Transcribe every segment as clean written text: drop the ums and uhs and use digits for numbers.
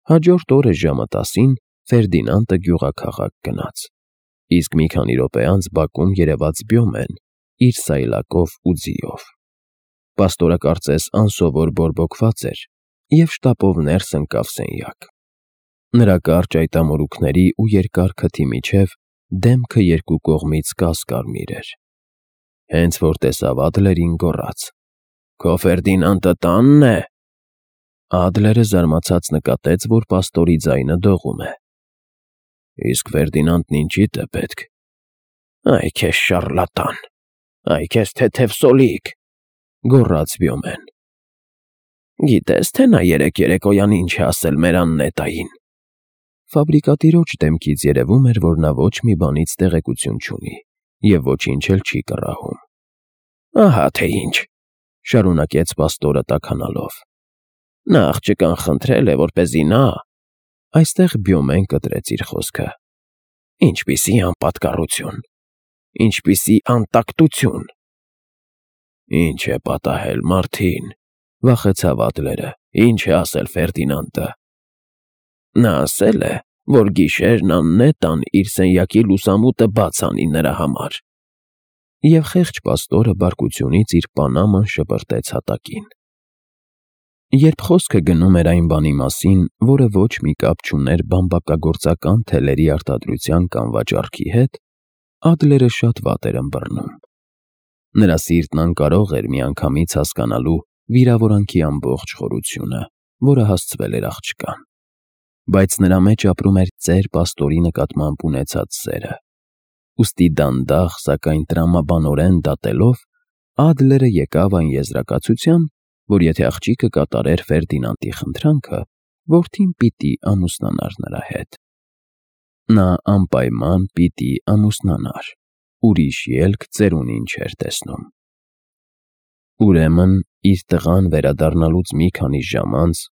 Հաջորդ օրը ժամը 10-ին Ֆերդինանդը գյուղաքաղաք գնաց, իսկ մի քանի րոպե անց բակում երևաց Բյոմեն իր սայլակով ու ձիով։ Պաստորը կարծես անսովոր բորբոքված էր և շտապով ներս ընկավ սենյակ։ Նրա կարճ այտամորուքների ու երկար քթի միջև դեմքը երկու կողմից կաս-կարմիր էր։ Հենց որ տեսավ Ադլերին, գոռաց. «Քո Ֆերդինանդը տա՞նն է»։ Ադլերը զարմացած նկատեց, որ պաստորի ձայնը դողում է։ «Իսկ Ֆերդինանդն ինչի՞դ է պետք»։ «Այ քեզ շառլատան, այ քեզ թեթև սոլիկ», գոռաց Բյոմեն։ «Գիտես, թե նա երեկոյան ինչ է ասել մեր Աննետային»։ Ֆաբրիկատիրոջ դեմքից երևում էր, որ նա ոչ մի բանից տեղեկություն չունի և ոչինչ էլ չի կռահում։ «Ահա թե ինչ», շարունակեց պաստորը տաքանալով։ «Նա աղջկան խնդրել է, որպեսզի նա…» Այստեղ Բյոմեն կտրեց իր խոսքը։ «Ինչպիսի անպատկառություն, ինչպիսի անտակտություն»։ «Ինչ է պատահել, Մարտին», վախեցավ Ադլերը։ «Ինչ է ասել Ֆերդինանդը»։ «Նա ասել է, որ գիշերն Աննետան իր սենյակի լուսամուտը բաց անի նրա համար»։ Եվ խեղճ պաստորը բարկությունից իր պանաման շպրտեց հատակին։ Երբ խոսքը գնում էր այն բանի մասին, որը ոչ մի կապ չուներ բամբակագործական թելերի արտադրության կամ վաճառքի հետ, Ադլերը շատ վատ էր ըմբռնում։ Նրա սիրտն անկարող էր միանգամից հասկանալու վիրավորանքի ամբողջ խորությունը, որը հասցվել էր աղջկան։ Բայց նրա մեջ ապրում էր ծեր պաստորի նկատմամբ ունեցած սերը։ Ուստի դանդաղ, սակայն տրամաբանորեն դատելով, Ադլերը եկավ այն եզրակացության, որ եթե աղջիկը կատարեր Ֆերդինանդի խնդրանքը, որդին պիտի ամուսնանար նրա հետ։ Նա անպայման պիտի ամուսնանար, ուրիշ ելք ծերունին չէր տեսնում։ Ուրեմն իր տղան վերադառնալուց մի քանի ժամ անց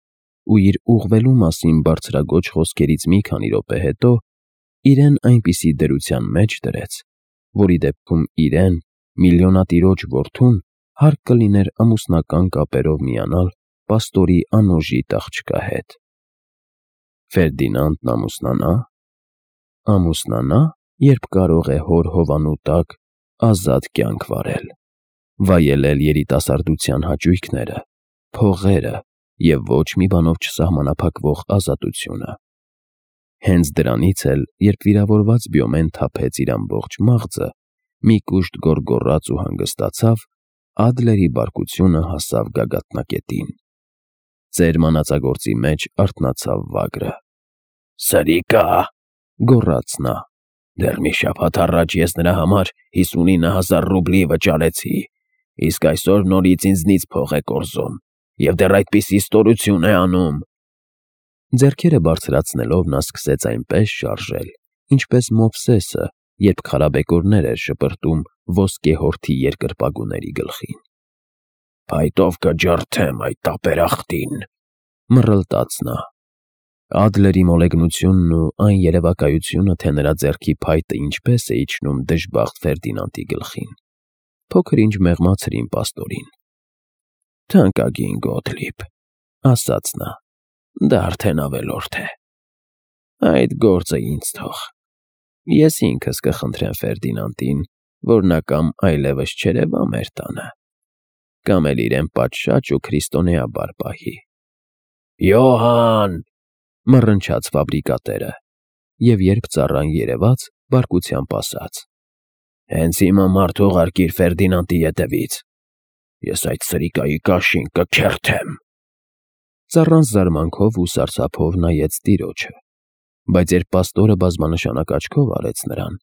ու իր ուղղվելու մասին բարձրաձոչ խոսքերից մի քանի րոպե հետո իրեն այնպիսի դրության մեջ դրեց, որի դեպքում իրեն, միլիոնատիրոջ որդուն, հարկ կլիներ ամուսնական կապերով միանալ պաստորի անօժիտ աղջկա հետ։ Ֆերդինանդն ամուսնանա։ Ամուսնանա, երբ կարող է հոր հովանու տակ ազատ կյանք վարել, վայելել երիտասարդության հաճույքները, փողերը և ոչ մի բանով չսահմանափակվող ազատությունը։ Հենց դրանից էլ, երբ վիրավորված Բյոմեն թափեց իր ամբողջ մաղձը, մի կուշտ գոռգոռաց ու հանգստացավ, Ադլերի բարկությունը հասավ գագաթնակետին։ Ծեր մանածագործի մեջ արթնացավ վագրը։ «Սրիկա՜», գոռաց նա։ «Դեռ մի շաբաթ առաջ ես նրա համար 59,000 ռուբլի վճարեցի, իսկ այսօր նորից ինձնից փող է կորզում և դեռ այդպիսի ստորություն է անում»։ Ձեռքերը բարձրացնելով նա սկսեց այնպես շարժել, ինչպես Մովսեսը, երբ քարաբեկորներ էր շպրտում ոսկե հորթի երկրպագուների գլխին։ «Փայտով կջարդեմ այդ տապերախտին», մռլտաց նա։ Ադլերի մոլեգնությունն ու այն երևակայությունը, թե նրա ձեռքի փայտը ինչպես է իջնում դժբախտ Ֆերդինանդի գլխին, փոքր-ինչ մեղմացրին պաստորին։ «Թանկագին Գոթլիբ», ասաց նա, «դա արդեն ավելորդ է։ Այդ գործը ինձ թող։ Ես ինքս կխնդրեմ Ֆերդինանդին, որ նա կամ այլևս չերևա մեր տանը, կամ էլ իրեն պատշաճ ու քրիստոնեաբար պահի»։ «Յոհան», մռնչաց ֆաբրիկատերը, և երբ ծառան երևաց, բարկությամբ ասաց. «Հենց հիմա մարդ ուղարկիր Ֆերդինանդի ետևից։ Ես այդ սրիկայի կաշին կքերթեմ»։ Ծառան զարմանքով ու սարսափով նայեց տիրոջը, բայց երբ պաստորը բազմանշանակ աչքով արեց նրան,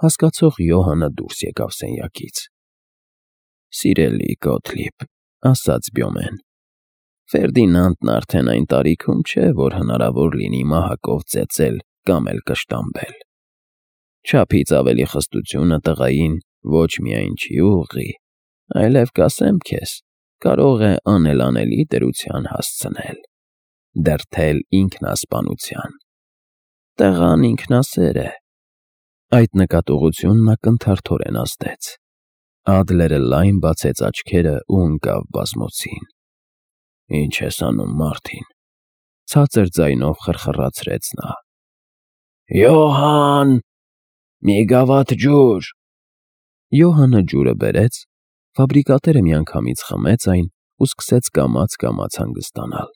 հասկացող Յոհանը դուրս եկավ սենյակից։ «Սիրելի Գոթլիբ», ասաց Բյոմեն, «Ֆերդինանդն արդեն այն տարիքում չէ, որ հնարավոր լինի մահակով ծեծել կամ էլ կշտամբել։ Չափից ավելի խստությունը տղային ոչ միայն չի ուղղի, այլև կասեմ քեզ, կարող է անելանելի դրության հասցնել, դրդել ինքնասպանության։ Տղան ինքնասեր է»։ Այդ նկատողությունն ակնթարթորեն ազդեց։ Ադլերը լայն բացեց աչքերը ու ընկավ բազմոցին։ «Ինչ ես անում, Մարտին, Ցածր ձայնով խրխրացրեց նա. «Յոհան, մի գավաթ ջուր»։ Յոհանը ջուրը բերեց, ֆաբրիկատերը միանգամից խմեց այն ու սկսեց կամաց-կամաց հանգստանալ։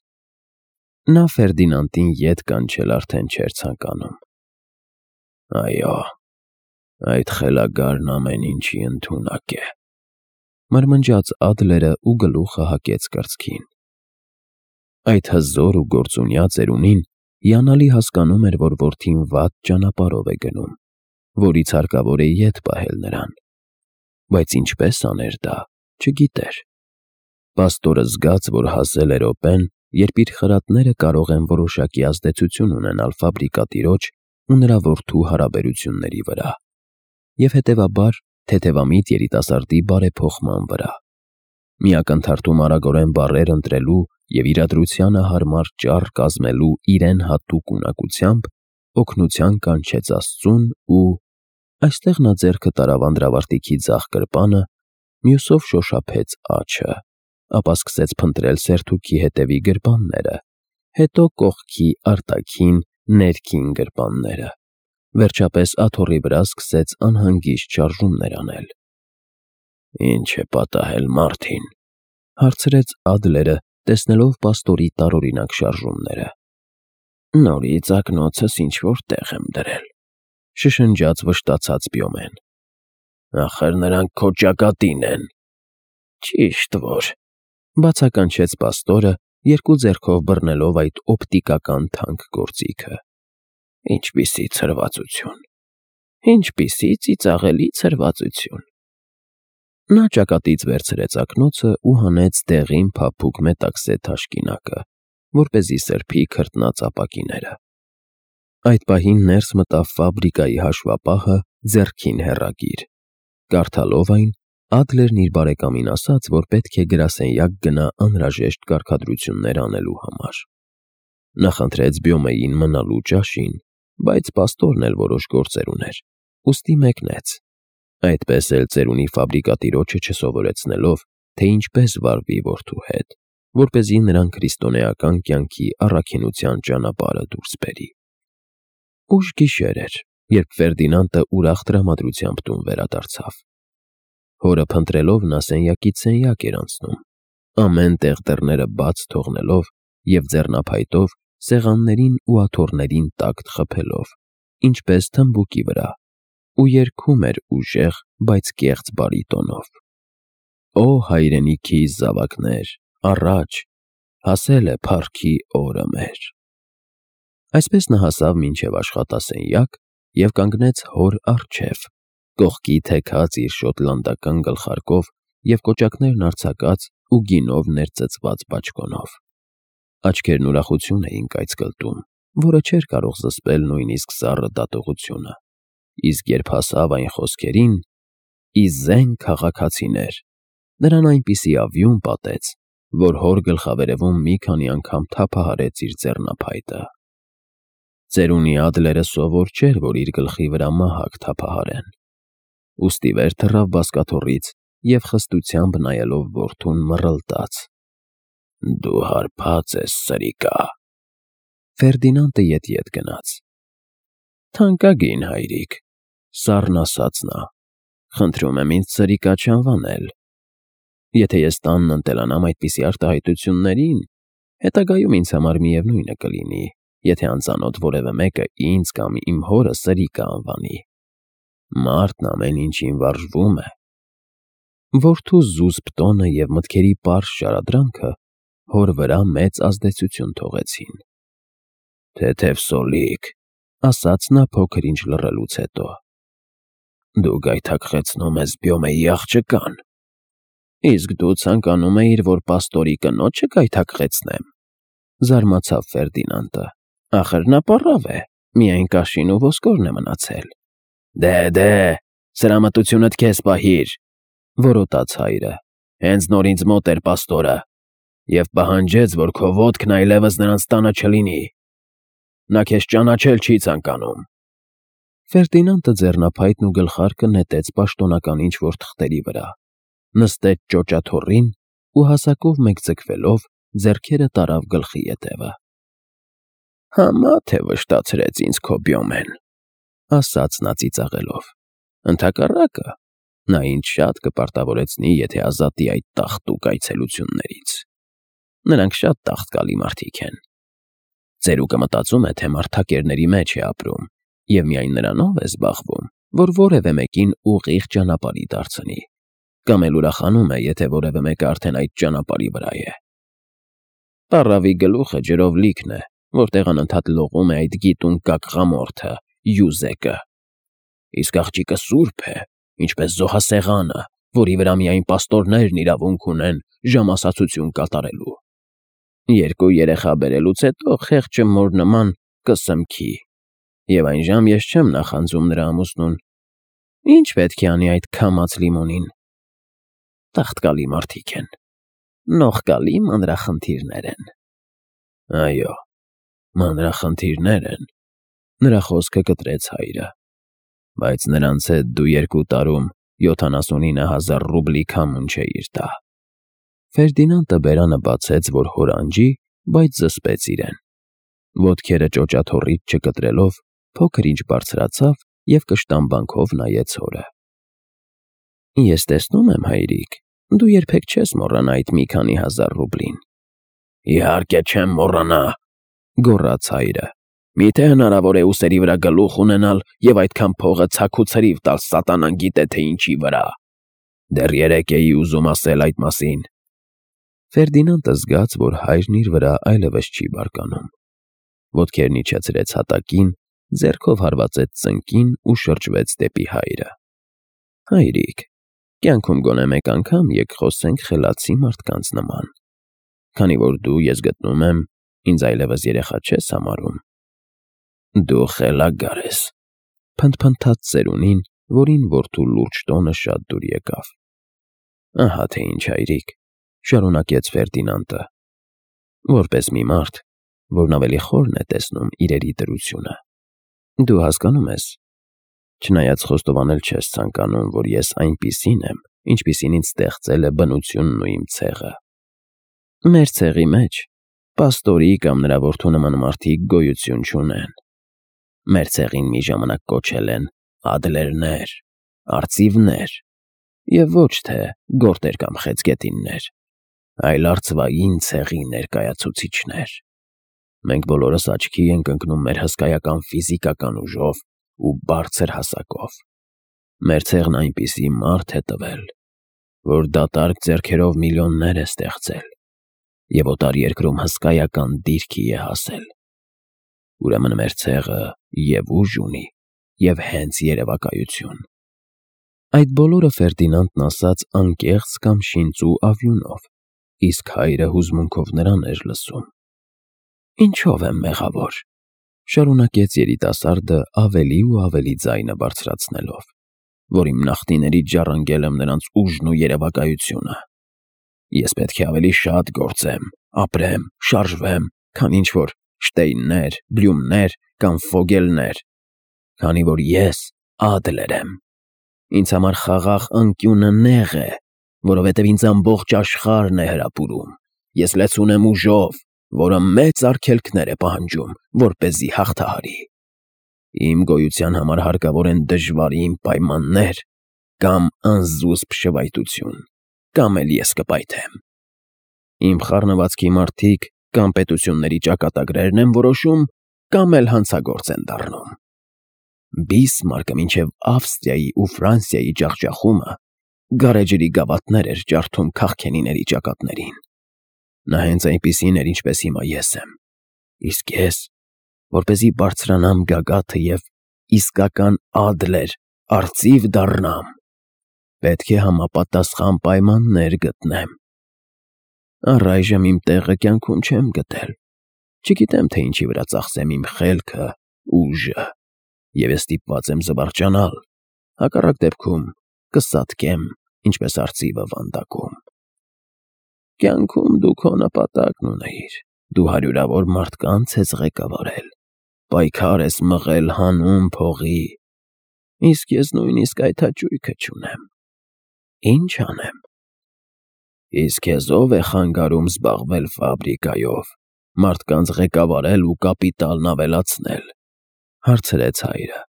Նա Ֆերդինանդին ետ կանչել արդեն չէր ցանկանում։ «Այո, այդ խելագարն ամեն ինչի ընդունակ է», մրմնջաց Ադլերը ու գլուխը հակեց կրծքին։ Այդ հզոր ու գործունյա ծերունին հիանալի հասկանում էր, որ որդին վատ ճանապարհով է գնում, որից հարկավոր է ետ պահել նրան, բայց ինչպես աներ դա, չգիտեր։ Պաստորը զգաց, որ հասել է րոպեն, երբ իր խրատները կարող են որոշակի ազդեցություն ունենալ ֆաբրիկատիրոջ ու նրա որդու հարաբերությունների վրա, և հետևաբար թեթևամիտ երիտասարդի բարեփոխման վրա։ Միակնթարթում արագորեն բառեր ընտրելու և իրադրությանը հարմար ճառ կազմելու իրեն հատուկ ունակությամբ օգնության կանչեց Աստծուն ու… Այստեղ նա ձեռքը տարավ անդրավարտիքի ձախ գրպանը, մյուսով շոշափեց աջը, ապա սկսեց փնտրել սերթուքի հետևի գրպանները, հետո կողքի արտաքին, ներքին գրպանները, վերջապես աթոռի վրա սկսեց անհանգիստ շարժումներ անել։ «Ինչ է պատահել Մարտին», հարցրեց Ադլերը, տեսնելով պաստորի տարօրինակ շարժումները։ «Նորից ակնոցս ինչ-որ տեղ եմ դրել», շշնջաց վշտացած Բյոմեն։ «Ախր նրանք քո ճակատին են»։ «Ճիշտ որ», բացականչեց պաստորը, երկու ձեռքով բռնելով այդ օպտիկական թանկ գործիքը։ «Ինչպիսի ցրվածություն, ինչպիսի ծիծաղելի ցրվածություն»։ Նա ճակատից վերցրեց ակնոցը ու հանեց դեղին փափուկ մետաքսե թաշկինակը, որպեսզի սրբի քրտնած ապակիները։ Այդ պահին ներս մտավ ֆաբրիկայի հաշվապահը ձեռքին հեռագիր։ Կարդալով այն, Ադլերն իր բարեկամին ասաց, որ պետք է գրասենյակ գնա անհրաժեշտ կարգադրություններ անելու համար։ Նա խնդրեց Բյոմեին մնալու ճաշին, բայց պաստորն էլ որոշ գործեր ուներ, ուստի մեկնեց։ Այդպես էլ ծերունի ֆաբրիկատիրոջը չսովորեցնելով, թե ինչպես վարվի որդու հետ, որպեսզի նրան քրիստոնեական կյանքի առաքինության ճանապարհը դուրս բերի։ Ուշ գիշեր էր, երբ Ֆերդինանդը ուրախ տրամադրությամբ տուն վերադարձավ։ Հորը փնտրելով նա սենյակից սենյակ էր անցնում, ամեն տեղ դռները բաց թողնելով և ձեռնափայտով սեղաններին ու աթոռներին տակտ խփելով, ինչպես թմբուկի վրա, ու երգում էր ուժեղ, բայց կեղծ բարիտոնով. «Օ հայրենիքիս զավակներ, առաջ, հասել է փառքի օրը մեր»։ Այսպես նա հասավ մինչև աշխատասենյակ և կանգնեց հոր առջև, կողքի թեքած իր շոտլանդական գլխարկով և կոճակներն արձակած ու գինով ներծծված բաճկոնով։ Աչքերն ուրախություն էին կայծկլտում, որը չէր կարող զսպել նույնիսկ սառը դատողությունը, իսկ երբ հասավ այն խոսքերին. «Ի զենք քաղաքացիներ», նրան այնպիսի ավյուն պատեց, որ հոր գլխավերևում մի քանի անգամ թափահարեց իր ձեռնափայտը։ Ծերունի Ադլերը սովոր չէր, որ իր գլխի վրա մահակ թափահարեն։ Ուստի վեր թռավ բազկաթոռից և խստությամբ նայելով որդուն մռլտաց. «Դու հարբած ես, սրիկա»։ Ֆերդինանդը ետ գնաց։ «Թանկագին հայրիկ», սառն ասաց նա, «խնդրում եմ ինձ սրիկա չանվանել։ Եթե ես տանն ընտելանամ այդպիսի արտահայտություններին, հետագայում ինձ համար միևնույնը կլինի, եթե անծանոթ որևէ մեկը ինձ կամ իմ հորը սրիկա անվանի։ Մարդն ամեն ինչին վարժվում է»։ Որդու զուսպ տոնը և մտքերի պարզ շարադրանքը հոր վրա մեծ ազդեցություն թողեցին։ «Թեթև սոլիկ», ասաց նա փոքր ինչ լռելուց հետո, «դու գայթակղեցնում ես Բյոմեի աղջկան։ Իսկ դու ցանկանում էիր, որ պաստորի կնոջը գայթակղեցնեմ», զարմացավ Ֆերդինանդը։ «Ախր նա պառավ է, միայն կաշին ու ոսկորն է մնացել»։ Դե, սրամտությունդ քեզ պահիր, որոտաց հայրը, հենց նոր ինձ մոտ էր պաստորը, և պահանջեց, որ քո ոտքն այլևս նրանց տանը չլինի։ Նա քեզ ճանաչել չի ցանկանում։ Ֆերդինանդը ձեռնափայտն ու գլխարկը նետեց պաշտոնական ինչ-որ թղթերի վրա, նստեց ճոճաթոռին ու հասակով մեկ ձգվելով ձեռքերը տարավ գլխի ետևը։ Համա թե վշտացրեց ինձ քո Բյոմեն, ասաց նա ծիծաղելով։ Ընդհակառակը, նա ինձ շատ կպարտավորեցնի, եթե ազատի այդ տաղտուկ այցելություններից։ Նրանք շատ տաղտկալի մարդիկ են։ Ծերուկը մտածում է, թե մարդակերների մեջ է ապրում, և միայն նրանով է զբաղվում, որ որևէ մեկին ուղիղ ճանապարհի դարձնի, կամ էլ ուրախանում է, եթե որևէ մեկը արդեն այդ ճանապարհի վրա է։ Պառավի գլուխը ջրով լիքն է, որտեղ անընդհատ լողում է այդ գիտուն կակղամորթը, Յուզեկը։ Իսկ աղջիկը սուրբ է, ինչպես զոհասեղանը, որի վրա միայն պաստորներն իրավունք ունեն ժամասացություն կատարելու։ Երկու երեխա բերելուց հետո խեղճը մոր նման կսմքի, և այն ժամ ես չեմ նախանձում նրա ամուսնուն։ Ինչ պետք է անի այդ քամած լիմոնին։ Տաղտկալի մարդիկ են, նողկալի մանրախնդիրներ են։ Այո, մանրախնդիրներ են, նրա խոսքը կտրեց հայրը, բայց նրանց հետ դու 2 տարում 79,000 ռուբլի քամուն չէիր տա։ Ֆերդինանդը բերանը բացեց, որ հորանջի, բայց զսպեց իրեն։ Ոտքերը ճոճաթոռից չկտրելով, փոքր-ինչ բարձրացավ և կշտամբանքով նայեց հորը։ Ես տեսնում եմ, հայրիկ, դու երբեք չես մոռանա այդ մի քանի հազար ռուբլին։ Իհարկե չեմ մոռանա, գոռաց հայրը։ Միթե հնարավոր է ուսերի վրա գլուխ ունենալ և այդքան փողը ցաք ու ցրիվ տալ սատանան գիտե թե ինչի վրա։ Դեռ երեկ էի ուզում ասել այդ մասին։ Ֆերդինանդը զգաց, որ հայրն իր վրա այլևս չի բարկանում։ Ոտքերն իջեցրեց հատակին, ձեռքով հարվածեց ծնկին ու շրջվեց դեպի հայրը։ Հայրիկ, կյանքում գոնե մեկ անգամ եք խոսենք խելացի մարդկանց նման։ Քանի որ դու, ես գտնում եմ, ինձ այլևս երեխա չես համարում։ Դու խելագար ես, փնթփնթաց ծերունին, որին որդու լուրջ տոնը շատ դուր եկավ։ Ահա թե ինչ, հայրիկ, շարունակեց Ֆերդինանդը, որպես մի մարդ, որն ավելի խորն է տեսնում իրերի դրությունը։ Դու հասկանում ես, չնայած խոստովանել չես ցանկանում, որ ես այնպիսին եմ, ինչպիսին ինձ ստեղծել է բնությունն ու իմ ցեղը։ Մեր ցեղի մեջ պաստորի կամ նրա որդու նման մարդիկ գոյություն չունեն։ Մեր ցեղին մի ժամանակ կոչել են ադլերներ, արծիվներ, և ոչ թե գորտեր կամ խեցգետիններ, այլ արծվային ցեղի ներկայացուցիչներ։ Մենք բոլորս աչքի ենք ընկնում մեր հսկայական ֆիզիկական ուժով ու բարձր հասակով։ Մեր ցեղն այնպիսի մարդ է տվել, որ դատարկ ձեռքերով միլիոններ է ստեղծել և օտարերկրում հսկայական դիրքի է հասել։ Ուրեմն մեր ցեղը և ուժ ունի, և հենց երևակայություն։ Այդ բոլորը Ֆերդինանդն ասաց անկեղծ կամ շինծու ավյունով, իսկ հայրը հուզմունքով նրան էր լսում։ Ինչո՞վ եմ մեղավոր, շարունակեց երիտասարդը ավելի ու ավելի ձայնը բարձրացնելով, որ իմ նախնիներից ժառանգել եմ նրանց ուժն ու երևակայությունը։ Ես պետք է ավելի շատ գործեմ, ապրեմ, շարժվեմ, քան ինչ-որ Շտեյններ, Բլյումներ կամ Ֆոգելներ, քանի որ ես Ադլեր եմ։ Ինձ համար խաղաղ անկյունը նեղ է, որովհետև ինձ ամբողջ աշխարհն է հրապուրում։ Ես լեցուն եմ ուժով, որը մեծ արգելքներ է պահանջում, որպեսզի հաղթահարի։ Իմ գոյության համար հարկավոր են դժվարին պայմաններ կամ անզուսպ շվայտություն, կամ էլ ես կպայթեմ։ Իմ խառնվածքի մարդիկ կամ պետությունների ճակատագրերն են որոշում, կամ էլ հանցագործ են դառնում։ Բիսմարկը մինչև Ավստրիայի ու Ֆրանսիայի ջախջախումը գարեջրի գավաթներ էր ջարդում քաղքենիների ճակատներին։ Նա հենց այնպիսին էր, ինչպես հիմա ես եմ։ Իսկ ես, որպեսզի բարձրանամ գագաթը և իսկական Ադլեր, արծիվ դառնամ, պետք է համապատասխան պայմաններ գտնեմ։ Առայժմ իմ տեղը կյանքում չեմ գտել։ Չգիտեմ, թե ինչի վրա ծախսեմ իմ խելքը, ուժը, և ես ստիպված եմ զվարճանալ, հակառակ դեպքում կսատկեմ, ինչպես արծիվը վանդակում։ Կյանքում դու քո նպատակն ունեիր, դու հարյուրավոր մարդկանց ես ղեկավարել, պայքար ես մղել հանուն փողի, իսկ ես նույնիսկ այդ հաճույքը չունեմ։ Ինչ անեմ։ Իսկ քեզ ո՞վ է խանգարում զբաղվել ֆաբրիկայով, մարդկանց ղեկավարել ու կապիտալն ավելացնել,֊ հարցրեց հայրը։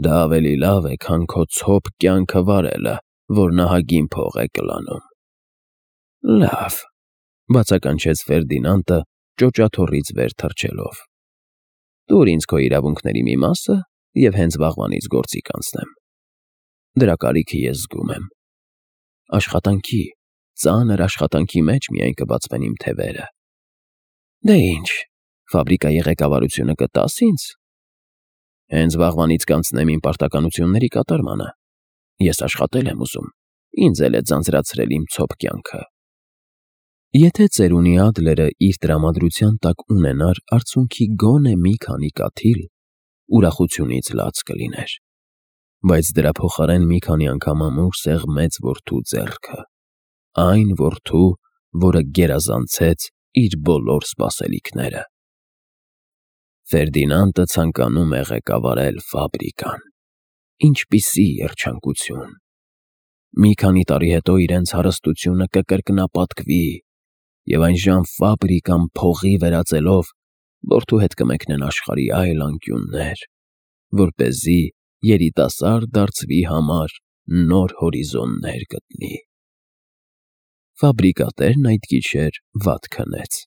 Դա ավելի լավ է, քան քո ցոփ կյանքը վարելը, որ նահագին փող է կլանում։ Լավ,֊ բացականչեց Ֆերդինանդը ճոճաթոռից վեր թռչելով։ Տուր ինձ քո իրավունքների մի մասը և հենց վաղվանից գործի կանցնեմ։ Դրա կարիքը ես զգում եմ։ Աշխատանքի, ծանր աշխատանքի մեջ միայն կբացվեն իմ թևերը։ Դե ինչ, ֆաբրիկայի ղեկավարությունը կտաս ինձ։ Հենց վաղվանից կանցնեմ իմ պարտականությունների կատարմանը։ Ես աշխատել եմ ուզում, ինձ էլ է ձանձրացրել իմ ցոփ կյանքը։ Եթե ծերունի Ադլերը իր տրամադրության տակ ունենար արցունքի գոնե մի քանի կաթիլ, ուրախությունից լաց կլիներ, բայց դրա փոխարեն մի քանի անգամ ամուր սեղմեց որդու ձեռքը, այն որդու, որը գերազանցեց իր բոլոր սպասելիքները։ Ֆերդինանդը ցանկանում է ղեկավարել ֆաբրիկան։ Ինչպիսի երջանկություն։ Մի քանի տարի հետո իրենց հարստությունը կկրկնապատկվի, և այնժամ ֆաբրիկան փողի վերածելով որդու հետ կմեկնեն աշխարհի այլ անկյուններ, որպեսզի երիտասարդ դարձվի համար նոր հորիզոններ գտնի։ Ֆաբրիկատերն այդ գիշեր վատ քնեց։